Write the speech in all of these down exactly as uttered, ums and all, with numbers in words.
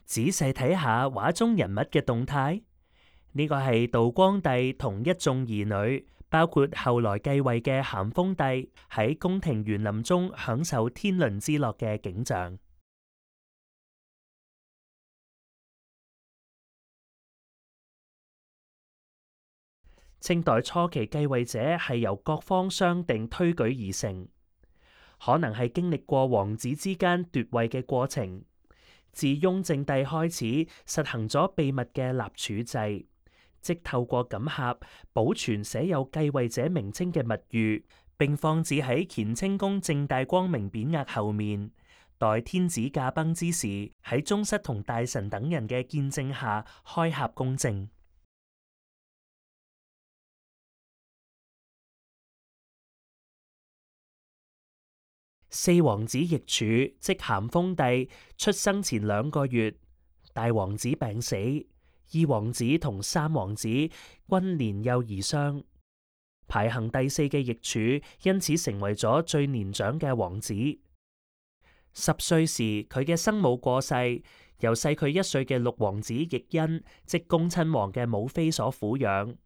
仔細睇下畫中人物嘅動態，呢個係道光帝同一眾兒女，包括後來繼位嘅咸豐帝，喺宮廷園林中享受天倫之樂嘅景象。清代初期繼位者係由各方商定推舉而成，可能係經歷過王子之間奪位嘅過程。自雍正帝開始實行咗秘密嘅立儲制，即透過錦盒保存寫有繼位者名稱嘅密諭，並放置喺乾清宮正大光明匾額後面，待天子駕崩之時，喺宗室同大臣等人嘅見證下開盒公證。四王子奕儲，即咸豐帝出生前兩個月，大王子病死，二王子同三王子均年幼而喪。排行第四嘅奕儲因此成為咗最年長嘅王子。十歲時，佢嘅生母過世，由細佢一歲嘅六王子奕訢，即恭親王嘅母妃所撫養。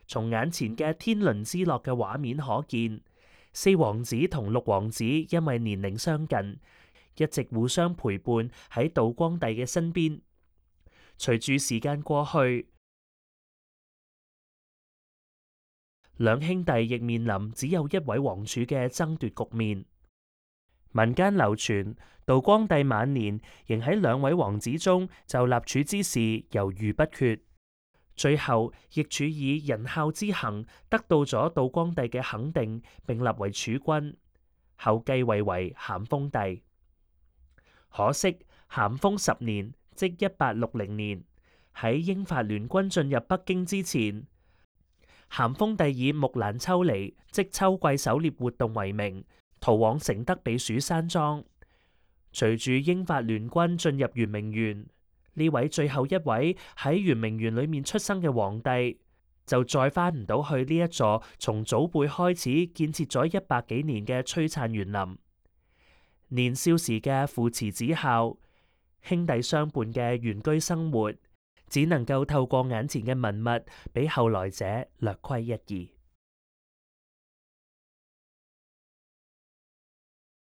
從眼前嘅天倫之樂嘅畫面可見，四王子同六王子因為年齡相近，一直互相陪伴喺道光帝嘅身邊。隨住時間過去，兩兄弟亦面臨只有一位王儲嘅爭奪局面。民間流傳，道光帝晚年仍喺兩位王子中就立儲之事猶豫不決。最後，奕儲以仁孝之行得到咗道光帝嘅肯定，並立為儲君，後繼位為咸豐帝。可惜咸豐十年，即一八六零年，喺英法聯軍進入北京之前，咸豐帝以木蘭秋離，即秋季狩獵活動為名，逃往承德避暑山莊。隨住英法聯軍進入圓明園，呢位最後一位喺圓明園裏面出生嘅皇帝，就再翻唔到去呢一座從祖輩開始建設咗一百幾年嘅璀璨園林。年少時嘅父慈子孝、兄弟相伴嘅原居生活，只能夠透過眼前嘅文物，俾後來者略窺一二。